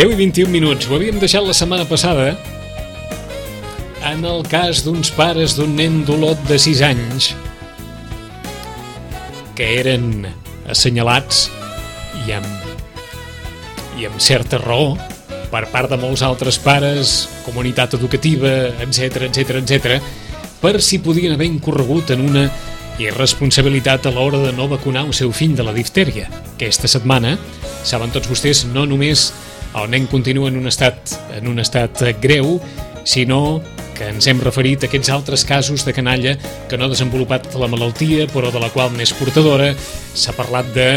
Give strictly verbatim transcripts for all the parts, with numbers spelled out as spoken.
deu i vint-i-un minuts. Ho havíem deixat la setmana passada en el cas d'uns pares d'un nen d'Olot de sis anys que eren assenyalats i amb, i amb certa raó per part de molts altres pares, comunitat educativa, etc etc etc, per si podien haver incorregut en una irresponsabilitat a l'hora de no vacunar el seu fill de la diftèria. Aquesta setmana, saben tots vostès, no només el nen continua en un estat, en un estat greu, sinó que ens hem referit a aquests altres casos de canalla que no ha desenvolupat la malaltia, però de la qual n'és portadora. S'ha parlat de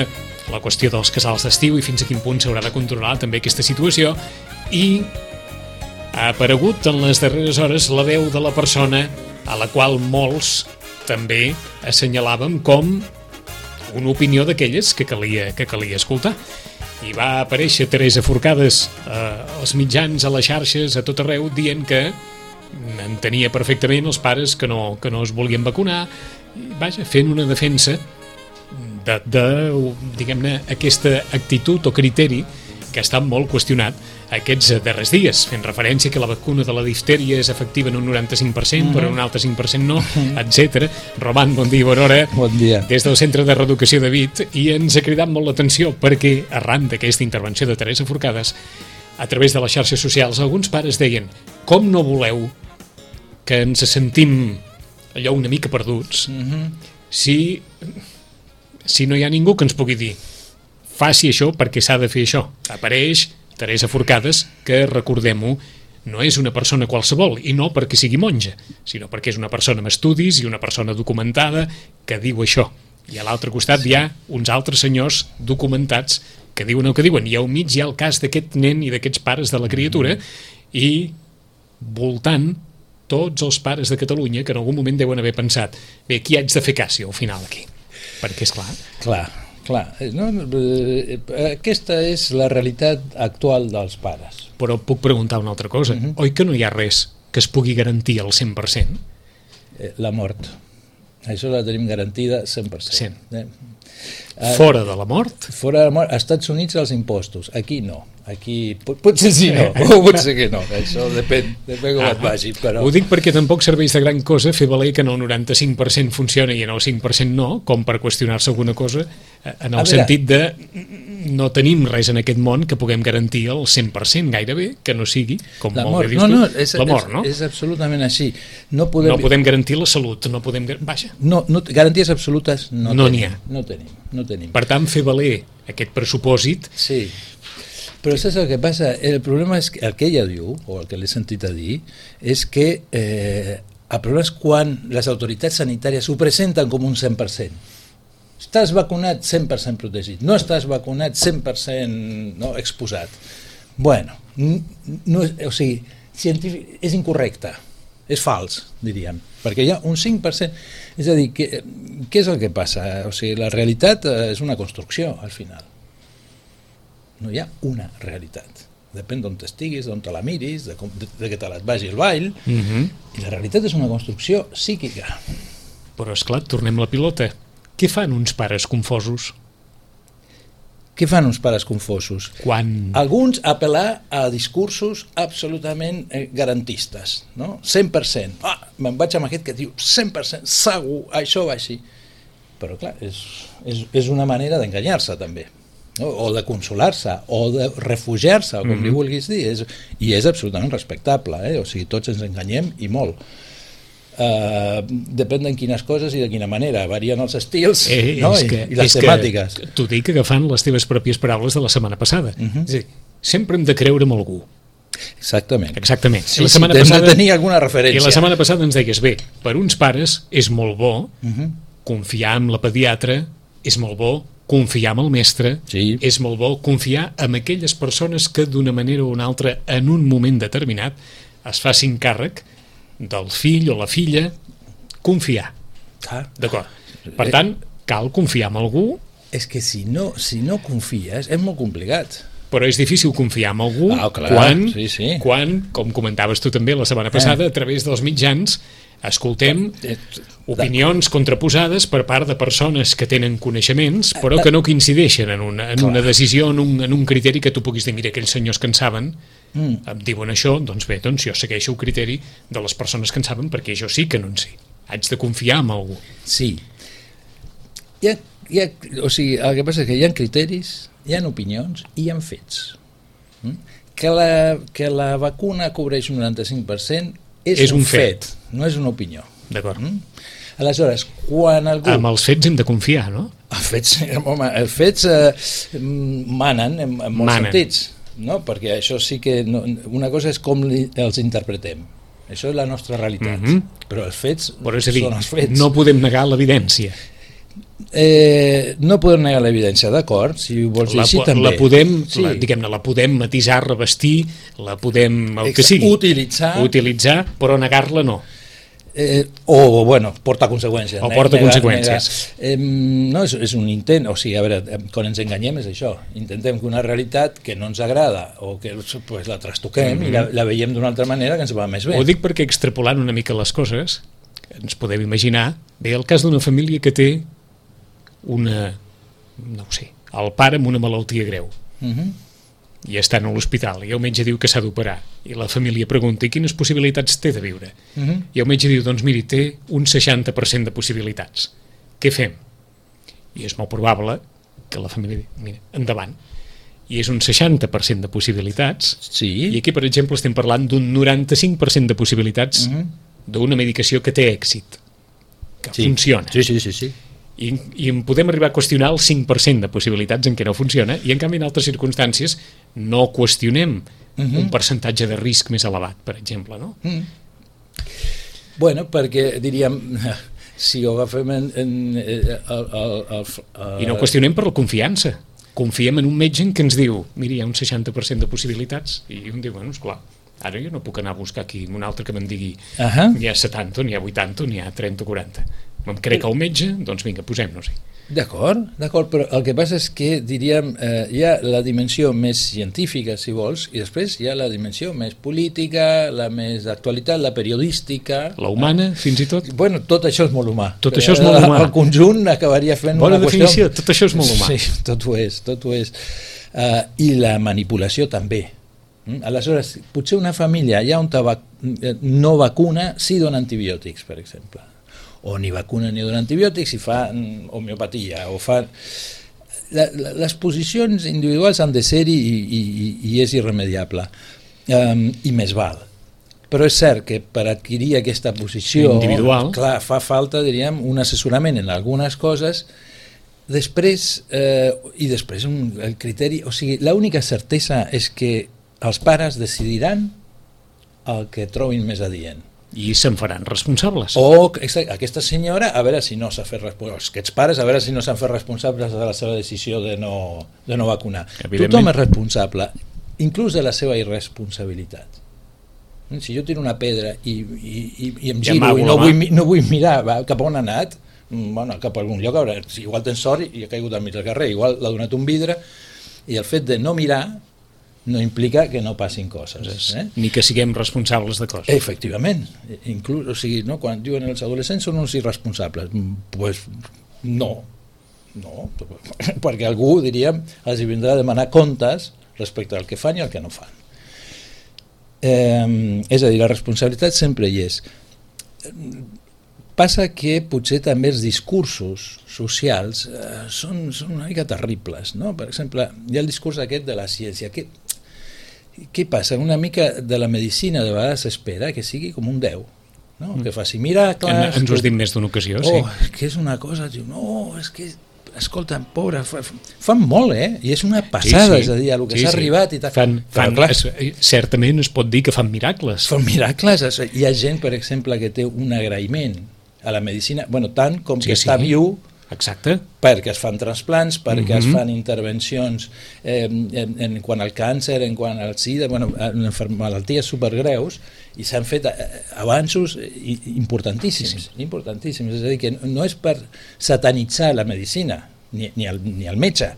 la qüestió dels casals d'estiu i fins a quin punt s'haurà de controlar també aquesta situació, i ha aparegut en les darreres hores la veu de la persona a la qual molts també assenyalàvem com una opinió d'aquelles que calia, que calia escoltar. I va aparèixer Teresa Forcades eh, als mitjans, a les xarxes, a tot arreu, dient que entenia perfectament els pares que no, que no es volien vacunar, i, vaja, fent una defensa de, de diguem-ne, aquesta actitud o criteri que ha estat molt qüestionat aquests darrers dies, fent referència que la vacuna de la diftèria és efectiva en un noranta-cinc per cent, mm-hmm. però en un altre cinc per cent no, etcètera. Roman, bon dia, bona hora. Bon dia. Des del Centre de Reeducació de Vic, i ens ha cridat molt l'atenció perquè, arran d'aquesta intervenció de Teresa Forcades, a través de les xarxes socials, alguns pares deien: com no voleu que ens sentim allò una mica perduts mm-hmm. si, si no hi ha ningú que ens pugui dir faci això perquè s'ha de fer això. Apareix Teresa Forcades, que, recordem-ho, no és una persona qualsevol, i no perquè sigui monja, sinó perquè és una persona amb estudis i una persona documentada que diu això. I a l'altre costat sí. hi ha uns altres senyors documentats que diuen el que diuen, i al mig hi ha el cas d'aquest nen i d'aquests pares de la criatura, i voltant tots els pares de Catalunya que en algun moment deuen haver pensat: bé, qui haig de fer cas al final aquí? Perquè, és clar... Clar. Clar, no, aquesta és la realitat actual dels pares. Però puc preguntar una altra cosa. Uh-huh. Oi que no hi ha res que es pugui garantir al cent per cent? La mort. Això la tenim garantida cent per cent. cent. Eh? Fora de la mort? Fora de la mort. Als Estats Units els impostos. Aquí no. Aquí pot, potser sí no, o potser que no. Això depèn, depèn com ah, et vagi. Però... Ho dic perquè tampoc serveix de gran cosa fer valer que en el noranta-cinc per cent funciona i en el cinc per cent no, com per qüestionar-se alguna cosa, en el sentit de no tenim res en aquest món que puguem garantir el cent per cent gairebé, que no sigui, com la molt mort. bé dius no, no, tu, és, la mort, no? És, és absolutament així. No podem, no podem garantir la salut, no podem... Vaja. No, no, garanties absolutes no, no tenim, n'hi ha. No tenim, no tenim. Per tant, fer valer aquest pressupòsit... Sí, però saps el que passa? El problema és que el que ella diu, o el que l'he sentit a dir, és que eh, el problema és quan les autoritats sanitàries ho presenten com un cent per cent. Estàs vacunat, cent per cent protegit. No estàs vacunat, cent per cent no, exposat. Bueno, no, o sigui, científic, és incorrecte, és fals, diríem, perquè hi ha un cinc per cent. És a dir, què, què és el que passa? O sigui, la realitat és una construcció, al final. No hi ha una realitat. Depèn d'on estiguis, d'on te la miris, de, com, de, de que te la vagi el ball, uh-huh. i la realitat és una construcció psíquica. Però, esclar, tornem la pilota. Què fan uns pares confosos? Què fan uns pares confosos? Quan... Alguns apel·lar a discursos absolutament eh, garantistes, no? cent per cent. Ah, me'n vaig amb aquest que diu cent per cent, segur, això va així. Però, clar, és, és, és una manera d'enganyar-se, també. No? O de consolar-se, o de refugiar-se, o com mm-hmm. li vulguis dir, és, i és absolutament respectable, eh? O sigui, tots ens enganyem i molt. Uh, depèn de quines coses i de quina manera, varien els estils eh, no? I, que, i les temàtiques. T'ho dic agafant les teves pròpies paraules de la setmana passada. Mm-hmm. És a dir, sempre hem de creure en algú. Exactament. Exactament. Sí, la sí, hem passada, de tenir alguna referència. I la setmana passada ens deies, bé, per uns pares és molt bo mm-hmm. confiar en la pediatra, és molt bo confiar en el mestre, sí. és molt bo confiar en aquelles persones que d'una manera o una altra en un moment determinat es facin càrrec del fill o la filla, confiar. Ah. D'acord. Per tant, cal confiar en algú. És que si no, si no confies és molt complicat. però és difícil confiar en algú ah, clar, quan, sí, sí. quan, com comentaves tu també la setmana passada, eh. a través dels mitjans escoltem opinions contraposades per part de persones que tenen coneixements però que no coincideixen en una, en una decisió, en un, en un criteri que tu puguis dir, mira, aquells senyors que en saben mm. em diuen això, doncs bé, doncs jo segueixo el criteri de les persones que en saben perquè jo sí que no en sé, haig de confiar en algú. Sí. Hi ha, hi ha, o sigui, el que passa és que hi ha criteris, hi ha opinions i hi ha fets. Mm? Que, la, que la vacuna cobreix un noranta-cinc per cent és, és un, un fet, fet, no és una opinió. D'acord. Mm? Aleshores, quan algú... Amb els fets hem de confiar, no? Els fets, home, els fets eh, manen en, en molts manen. sentits, no? Perquè això sí que... No, una cosa és com li, els interpretem. Això és la nostra realitat. Mm-hmm. Però els fets però és a dir, són els fets. No podem negar l'evidència. Eh, no podem negar l'evidència, d'acord, si ho vols dir la, així també. La podem, sí. la, diguem-ne, la podem matisar, revestir, la podem, el Exacte. que sigui, utilitzar, utilitzar però negar-la no. Eh, o, bueno, porta conseqüències. O porta negar, conseqüències. Negar. Eh, no, és, és un intent, o sigui, a veure, quan ens enganyem és això, intentem que una realitat que no ens agrada o que pues, la trastoquem mm-hmm. i la, la veiem d'una altra manera que ens va més bé. Ho dic perquè extrapolant una mica les coses, ens podem imaginar, bé, el cas d'una família que té una, no ho sé, el pare amb una malaltia greu uh-huh. i estan a l'hospital i el metge diu que s'ha d'operar i la família pregunta i quines possibilitats té de viure uh-huh. i el metge diu, doncs miri, té un seixanta per cent de possibilitats, què fem? I és molt probable que la família digui, mira, endavant, i és un seixanta per cent de possibilitats sí. i aquí per exemple estem parlant d'un noranta-cinc per cent de possibilitats uh-huh. d'una medicació que té èxit, que sí. funciona. Sí, sí, sí, sí. I, i en podem arribar a qüestionar el cinc per cent de possibilitats en què no funciona i en canvi en altres circumstàncies no qüestionem uh-huh. un percentatge de risc més elevat, per exemple, no? Uh-huh. Bueno, perquè diríem si ho agafem en, en, en el, el, el, el... I no qüestionem per la confiança, confiem en un metge en què ens diu, mira, hi ha un seixanta per cent de possibilitats i un diu, bueno, esclar, ara jo no puc anar a buscar aquí un altre que me'n digui uh-huh. n'hi ha setanta, n'hi ha vuitanta, n'hi ha trenta o quaranta. Em crec el metge, doncs vinga, posem-nos-hi. D'acord, d'acord, però el que passa és que, diríem, eh, hi ha la dimensió més científica, si vols, i després hi ha la dimensió més política, la més d'actualitat, la periodística... La humana, eh? Fins i tot? Bueno, tot això és molt humà. Tot això és molt humà. El conjunt acabaria fent Bona una qüestió... Bona definició, tot això és molt humà. Sí, tot ho és, tot ho és. Uh, I la manipulació també. Mm? Aleshores, potser una família allà on vac... no vacuna sí dona antibiòtics, per exemple. O ni vacuna ni dona antibiòtics i fa homeopatia o fa... La, la, les posicions individuals han de ser-hi i, i, i és irremediable um, i més val, però és cert que per adquirir aquesta posició individual, clar, fa falta, diríem, un assessorament en algunes coses després eh, i després un, el criteri, o sigui, l'única certesa és que els pares decidiran el que trobin més adient i se'n faran responsables. O aquesta senyora, a veure si no s'ha fet responsables, aquests pares, a veure si no s'han fet responsables de la seva decisió de no, de no vacunar. Tothom és responsable, inclús de la seva irresponsabilitat. Si jo tiro una pedra i, i, i, i em giro i no vull, no vull mirar va, cap on ha anat, bueno, cap a algun lloc, a veure, si igual tens sort i ha caigut al mig del carrer, igual l'ha donat un vidre, i el fet de no mirar no implica que no passin coses. Eh? Ni que siguem responsables de coses. Efectivament. Inclús, o sigui, no, quan diuen els adolescents són uns irresponsables, doncs pues, no. No, perquè algú, diríem, els hi vindrà a demanar comptes respecte al que fan i al que no fan. Eh, és a dir, la responsabilitat sempre hi és. Passa que potser també els discursos socials eh, són, són una mica terribles, no? Per exemple, hi ha el discurs aquest de la ciència. Què, què passa? Una mica de la medicina de vegades s'espera que sigui com un déu, no? Mm. Que faci miracles... En, ens ho has dit més d'una ocasió, oh, sí. Que és una cosa... Diu, no, és que... Escolta, pobre, fa, fan molt, eh? I és una passada, sí, sí. És a dir, a lo que sí, s'ha sí. arribat i tal. Fan, fan, es, certament es pot dir que fan miracles. Fan miracles. Hi ha gent, per exemple, que té un agraïment a la medicina, bueno, tant com sí, que sí. està viu, exacte, perquè es fan trasplants, perquè mm-hmm. es fan intervencions eh, en, en quant al càncer, en quant al sida, bueno, en malalties supergreus, i s'han fet avanços importantíssims, sí, sí. importantíssims. És a dir, que no és per satanitzar la medicina, ni, ni, el, ni el metge,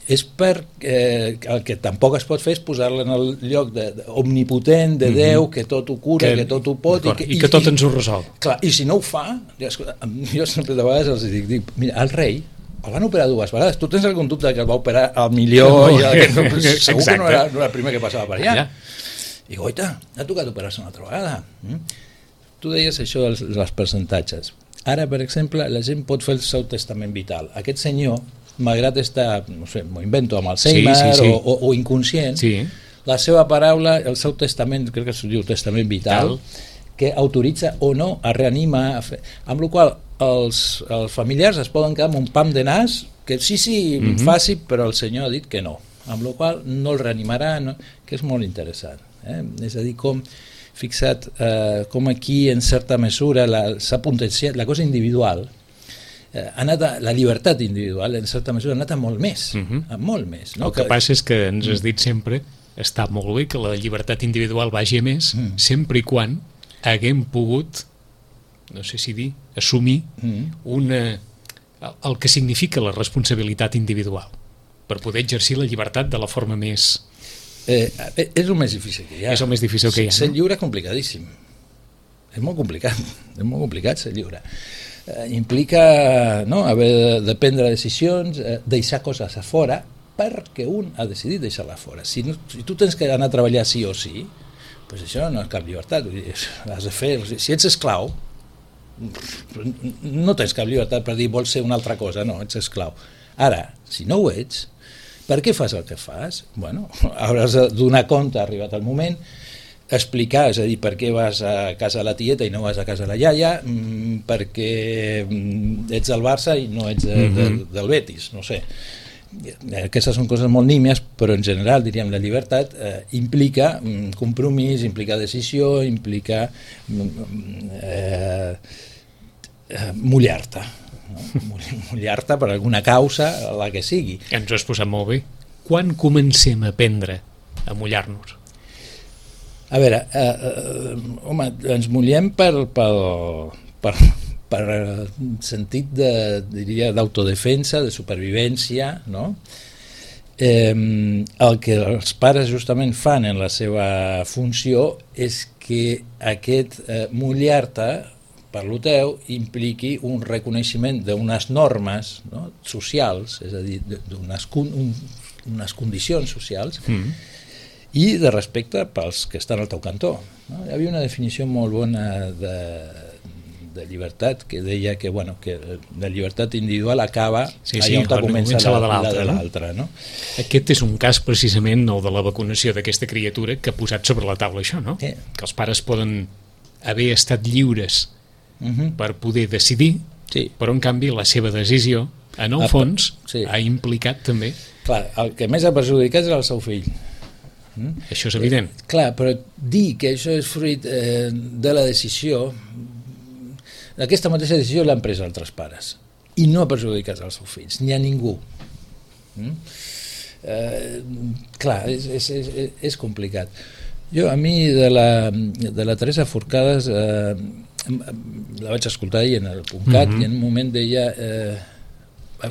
és per eh, el que tampoc es pot fer és posar-la en el lloc de, de, omnipotent de Déu, mm-hmm. que tot ho cura, que, que tot ho pot i que, i que tot ens ho resol. Clar, i si no ho fa, jo, jo sempre de vegades els dic, dic mira, el rei el van operar dues vegades, tu tens algun dubte que el va operar al millor no, i el que no, segur que no era, no era el primer que passava per allà, allà. I goita, ha tocat operar-se una altra vegada. mm? Tu deies això dels, dels percentatges. Ara, per exemple, la gent pot fer el seu testament vital. Aquest senyor, malgrat estar, no sé, m'ho invento, amb Alzheimer sí, sí, sí. O, o, o inconscient, sí. La seva paraula, el seu testament, crec que es diu testament vital, Tal. Que autoritza o no a reanimar, a fer, amb la qual els, els familiars es poden quedar amb un pam de nas, que sí, sí, mm-hmm. faci, però el senyor ha dit que no, amb la qual no el reanimarà, no, que és molt interessant. Eh? És a dir, com fixat eh, com aquí en certa mesura s'ha potenciat la cosa individual, eh, ha anat a, la llibertat individual en certa mesura ha anat a molt més, uh-huh. a molt més. No? El que, que passa és que ens has dit sempre està molt bé que la llibertat individual vagi a més, uh-huh. sempre i quan haguem pogut, no sé si dir, assumir uh-huh. una, el que significa la responsabilitat individual per poder exercir la llibertat de la forma més... Eh, és el més difícil que hi ha. És el més difícil que hi ha, ser no? lliure és complicadíssim. És molt complicat, és molt complicat ser lliure. Eh, implica no, haver de, de prendre decisions, eh, deixar coses a fora perquè un ha decidit deixar-la fora. Si, no, si tu tens que anar a treballar sí o sí, pues això no és cap llibertat. Has de fer, si ets esclau, no tens cap llibertat per dir vols ser una altra cosa, no, ets esclau. Ara, si no ho ets, per què fas el que fas? Bueno, hauràs de donar compte, arribat el moment, explicar, és a dir, per què vas a casa de la tieta i no vas a casa de la iaia, mm, perquè ets del Barça i no ets de, mm-hmm. de, del Betis, no sé. Aquestes són coses molt nímies, però en general, diríem, la llibertat eh, implica mm, compromís, implica decisió, implica mm, eh, eh, mullar-te. No? Mullar-te per alguna causa, la que sigui. Ens ho has posat molt bé. Quan comencem a aprendre a mullar-nos? A veure, eh, eh, home, ens mullem per, per, per, per sentit de, diria, d'autodefensa, de supervivència, no? Eh, el que els pares justament fan en la seva funció és que aquest eh, mullar-te per lo teu impliqui un reconeixement d'unes normes, no, socials, és a dir, d'unes un, unes condicions socials, mm. i de respecte pels que estan al teu cantó. No? Hi havia una definició molt bona de, de llibertat que deia que, bueno, que la llibertat individual acaba sí, sí, allà on comença la, la de l'altra. No? Aquest és un cas precisament el de la vacunació d'aquesta criatura que ha posat sobre la taula això, no? Sí. Que els pares poden haver estat lliures Uh-huh. per poder decidir, sí. però en canvi la seva decisió, en el ah, fons, sí. ha implicat també... Clar, el que més ha perjudicat és el seu fill. Mm? Això és evident. Eh, clar, però dir que això és fruit eh, de la decisió, aquesta mateixa decisió l'han pres altres pares, i no ha perjudicat els seus fills, ni a ningú. Mm? Eh, clar, és, és, és, és complicat. Jo, a mi, de la, de la Teresa Forcades... Eh, la vaig escoltar ahir en el punt cat mm-hmm. i en un moment deia eh,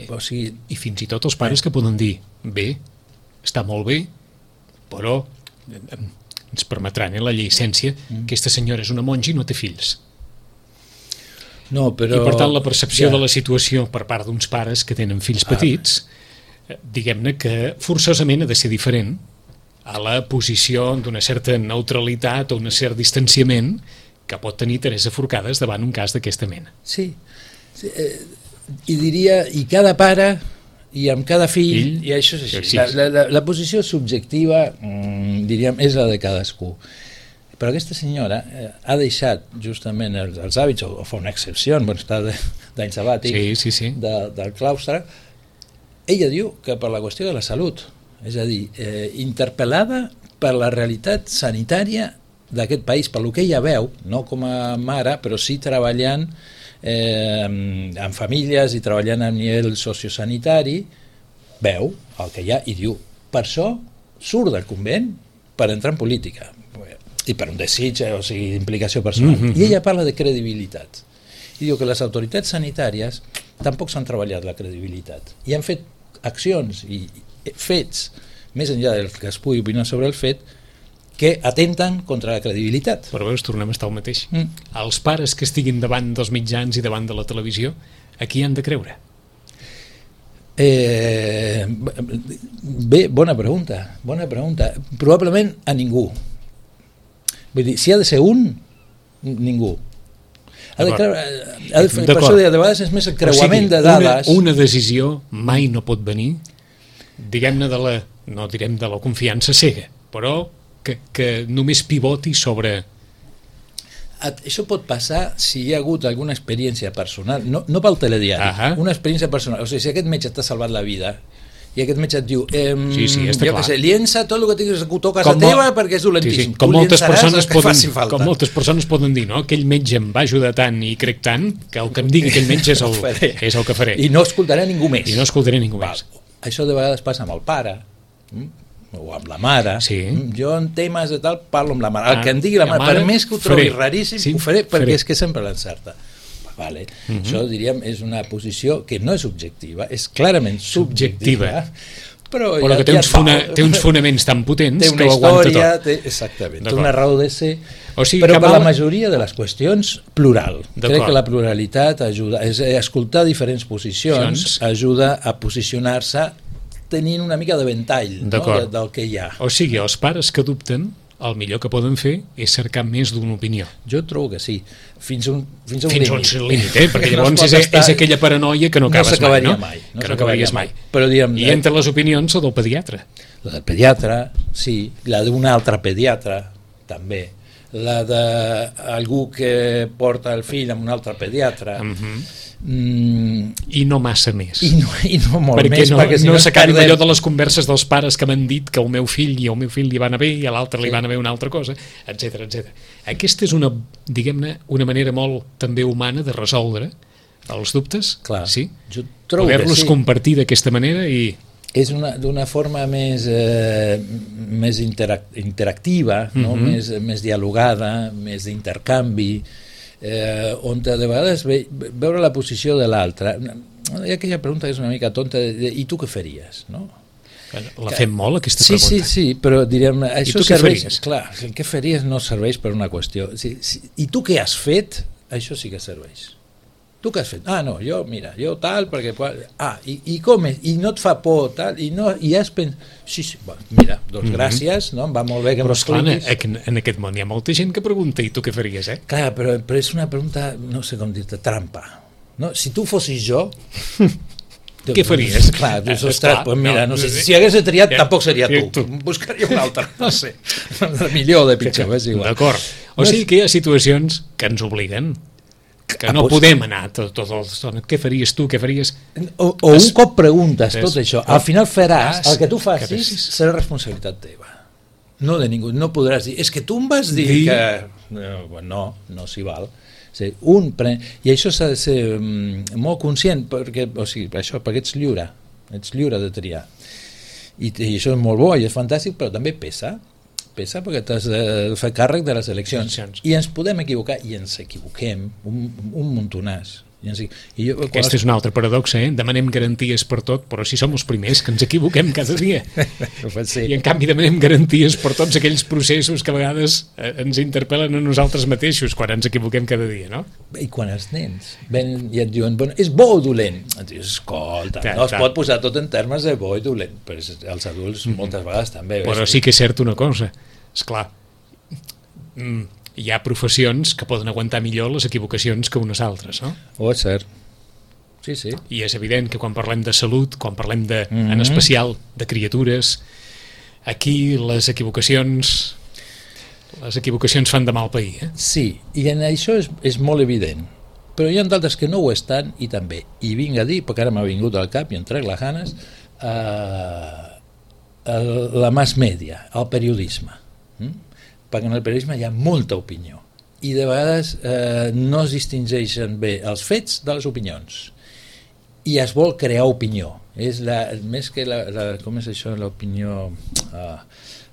o sigui, i fins i tot els pares que poden dir bé, està molt bé però ens permetran eh, la llicència mm. aquesta senyora és una monja i no té fills no, però, i per tant la percepció ja. de la situació per part d'uns pares que tenen fills petits ah. diguem-ne que forçosament ha de ser diferent a la posició d'una certa neutralitat o un cert distanciament que pot tenir Teresa Forcades davant un cas d'aquesta mena. Sí, sí eh, i diria, i cada pare i amb cada fill, Ell, i això és així. Sí. La, la, la posició subjectiva, mm, diríem, és la de cadascú. Però aquesta senyora eh, ha deixat justament els, els hàbits, o, o fa una excepció, bueno, està d'any sabàtic, sí, sí, sí. De, del claustre. Ella diu que per la qüestió de la salut, és a dir, eh, interpel·lada per la realitat sanitària d'aquest país, per lo que ella veu, no com a mare, però sí treballant eh, en famílies i treballant a nivell sociosanitari, veu el que hi ha i diu, per això surt del convent per entrar en política, i per un desig, o sigui, d'implicació personal. Mm-hmm. I ella parla de credibilitat. I diu que les autoritats sanitàries tampoc s'han treballat la credibilitat. I han fet accions i fets, més enllà del que es pugui opinar sobre el fet, que atenten contra la credibilitat. Però veus, tornem a estar al mateix. Mm. Els pares que estiguin davant dels mitjans i davant de la televisió, a qui han de creure? Eh, bé, bona pregunta, bona pregunta. Probablement a ningú. Vull dir, si ha de ser un, ningú. Ha de creure, ha de fer, per això de vegades és més el creuament o sigui, de dades. Una, una decisió mai no pot venir, diguem-ne, de la, no direm de la confiança cega, però que, que només pivoti sobre... Això pot passar si hi ha hagut alguna experiència personal, no, no pel telediari, uh -huh. una experiència personal. O sigui, si aquest metge t'ha salvat la vida i aquest metge et diu eh, sí, sí, jo què sé, liença tot el que tinguis a casa com teva perquè és dolentíssim. Sí, sí. Com, moltes persones poden, com moltes persones poden dir, no? Aquell metge em va ajudar tant i crec tant que el que em digui aquell metge és el, és el que faré. I no escoltaré ningú més. I no escoltaré ningú Val. més. Això de vegades passa amb el pare, o amb la mare. Sí. Jo en temes de tal parlo amb la mare. El ah, que em digui la mare, mare, per més que ho trobi faré. raríssim, sí, ho faré perquè faré. és que sempre l'encerta. Vale. Uh-huh. Això, diríem, és una posició que no és objectiva, és clarament subjectiva, subjectiva. Però, però ja, que té, ja uns funa, té uns fonaments tan potents té una que ho història, aguanta tot. Té, exactament, té una raó de ser, o sigui, però per mal... la majoria de les qüestions, plural. Crec que la pluralitat ajuda, és escoltar diferents posicions, Sions... ajuda a posicionar-se tenint una mica de ventall, no? de, del que hi ha. O sigui, els pares que dubten, el millor que poden fer és cercar més d'una opinió. Jo trobo que sí, fins, un, fins a un fins límit. Fins a un límit, eh? Perquè llavors no és, estar... és aquella paranoia que no acabes no mai, no? mai. No que no acabaries mai. mai. Però, diguem, I entre les opinions la del pediatre. La del pediatre, sí, la d'un altre pediatre, també. La d'algú que porta el fill amb un altre pediatre. Uh-huh. Mm, i no massa més i no, i no molt perquè més no, perquè si no, no s'acabi perdem... allò de les converses dels pares que m'han dit que el meu fill i el meu fill li van a bé i a l'altre li sí. van a bé una altra cosa, etc etcètera. Aquesta és una, diguem-ne, una manera molt també humana de resoldre els dubtes. Clar, sí? jo trobo poder-los sí. compartir d'aquesta manera i és d'una forma més eh, més interac interactiva, no? uh-huh. més, més dialogada, més d'intercanvi, eh, on de vegades ve, veure la posició de l'altre. Hi ha aquella pregunta que és una mica tonta, de, de, i tu què faries? No? La fem molt, aquesta sí, pregunta. Sí, sí, però direm, això I tu serveix... Què clar, el què faries no serveix per una qüestió. Sí, sí, i tu què has fet? Això sí que serveix. Tu què has fet? Ah, no, jo, mira, jo tal, perquè... Ah, i, i com és? I no et fa por, tal, i, no, i has pensat... Sí, sí, bueno, mira, doncs mm-hmm. gràcies, no? Em va molt bé que m'expliquis. Però, esclar, en aquest món hi ha molta gent que pregunta i tu què faries, eh? Clar, però, però és una pregunta, no sé com dir-te, trampa. No? Si tu fossis jo... Què faries? Clar, dius, ostres, pues mira, no sé, si hagués triat tampoc seria tu, buscaria un altre, no sé, de millor o de pitjor, és igual. D'acord, o sigui que hi ha situacions que ens obliguen, que no podem anar tot, tot el estona. Què faries tu, què faries... O, o un cop preguntes tot això, al final faràs, el que tu facis serà responsabilitat teva, no de ningú, no podràs dir, és que tu em vas dir que... No, no s'hi val. Sí, un pre... I això s'ha de ser um, molt conscient, perquè, o sigui, això, perquè ets lliure, ets lliure de triar. I, i això és molt bo i és fantàstic, però també pesa, pesa perquè t'has de fer càrrec de les eleccions. I ens podem equivocar, i ens equivoquem, un, un muntonàs. I ens, i jo, Aquesta és una altra paradoxa, eh? Demanem garanties per tot, però si som els primers que ens equivoquem cada dia. Sí. I en canvi demanem garanties per tots aquells processos que a vegades eh, ens interpel·len a nosaltres mateixos quan ens equivoquem cada dia, no? I quan els nens ven i et diuen, bueno, és bo o dolent? Et dius, escolta, ta, no es ta. pot posar tot en termes de bo i dolent, però els adults mm. moltes vegades també. Però ves? Sí que és cert una cosa, esclar, mm, hi ha professions que poden aguantar millor les equivocacions que unes altres, no? Oh, és cert. Sí, sí. I és evident que quan parlem de salut, quan parlem de, mm-hmm. en especial de criatures, aquí les equivocacions les equivocacions fan de mal pair, eh? Sí, i en això és, és molt evident, però hi ha d'altres que no ho estan i també, i vinc a dir, perquè ara m'ha vingut al cap i em trec les ganes, eh, el, la mass media, el periodisme, hm? perquè en el periodisme hi ha molta opinió i de vegades eh, no es distingeixen bé els fets de les opinions i es vol crear opinió. És la, més que la, la, com és això, l'opinió ah,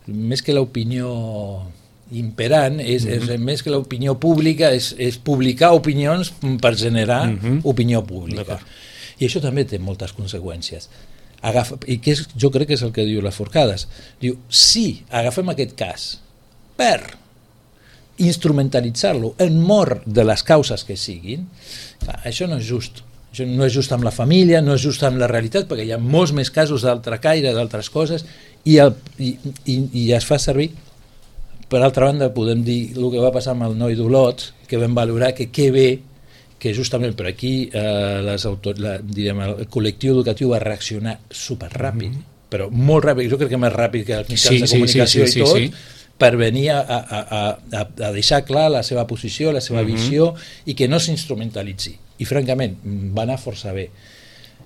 més que l'opinió imperant, és, mm-hmm. és més que l'opinió pública, és, és publicar opinions per generar mm-hmm. opinió pública. I això també té moltes conseqüències. agafa, i que és, jo crec que és el que diu les Forcades, diu, si agafem aquest cas per instrumentalitzar-lo en mort de les causes que siguin, clar, això no és just. Això no és just amb la família, no és just amb la realitat, perquè hi ha molts més casos d'altre caire, d'altres coses, i, el, i, i, i es fa servir. Per altra banda, podem dir el que va passar amb el noi d'Olot, que vam valorar que què bé, que justament per aquí eh, les autor, la, direm, el col·lectiu educatiu va reaccionar superràpid, mm-hmm. però molt ràpid, jo crec que més ràpid que els mitjans sí, de comunicació sí, sí, i tot, sí, sí. per venir a, a, a, a deixar clar la seva posició, la seva mm-hmm. visió, i que no s'instrumentalitzi. I francament va anar força bé.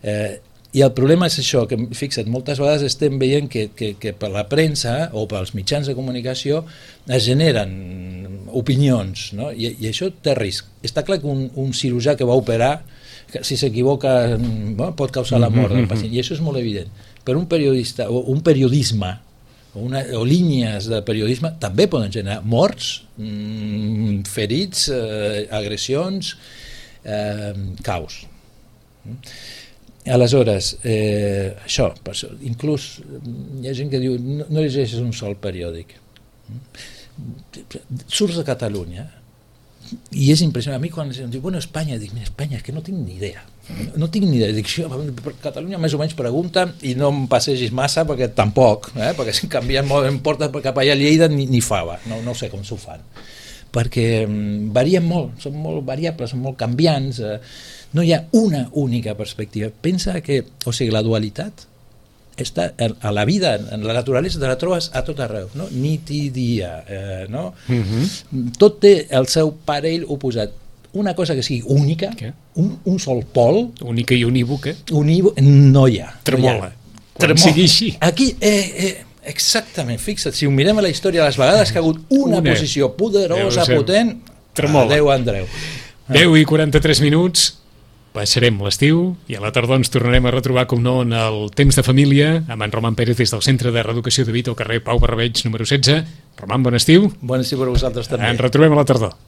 Eh, i el problema és això, que fixa't, moltes vegades estem veient que, que, que per la premsa o pels mitjans de comunicació es generen opinions, no? I, i això té risc. Està clar que un, un cirurgià que va operar, que si s'equivoca bueno, pot causar la mort del pacient, i això és molt evident. Però un periodista o un periodisme o, una, o línies de periodisme també poden generar morts, mmm, ferits, eh, agressions, Eh, caos. Aleshores, eh, això, per això, inclús hi ha gent que diu no, no llegeixes un sol periòdic. Surts de Catalunya i és impressionant. A mi quan em diu, bueno, Espanya, dic, Espanya, és que no tinc ni idea. No tinc ni idea. Dic, per Catalunya més o menys pregunta i no em passegis massa perquè tampoc, eh? Perquè si canvien molt, em porta cap allà a Lleida ni, ni fava, no, no sé com s'ho fan. Perquè varien molt, són molt variables, són molt canviants, eh, no hi ha una única perspectiva. Pensa que, o sigui, la dualitat està a la vida, en la naturalesa te la trobes a tot arreu, no? Nit i dia, eh, no? Mm-hmm. Tot té el seu parell oposat. Una cosa que sigui única, un, un sol pol... Única i unívoca. Unívoca, no hi ha. Tremola. No hi ha. Quan Tremola. Sigui així. Aquí, eh, eh, exactament, fixa't, si ho mirem a la història, les vegades que ha hagut una, una. posició poderosa, potent, adeu Andreu. deu i quaranta-tres minuts, passarem l'estiu i a la tardor ens tornarem a retrobar, com no, en el Temps de Família, amb en Roman Pérez des del Centre de Reeducació de Vic, al carrer Pau Barrabeig, número setze. Roman, bon estiu. Bon estiu per vosaltres també. Ens retrobem a la tardor.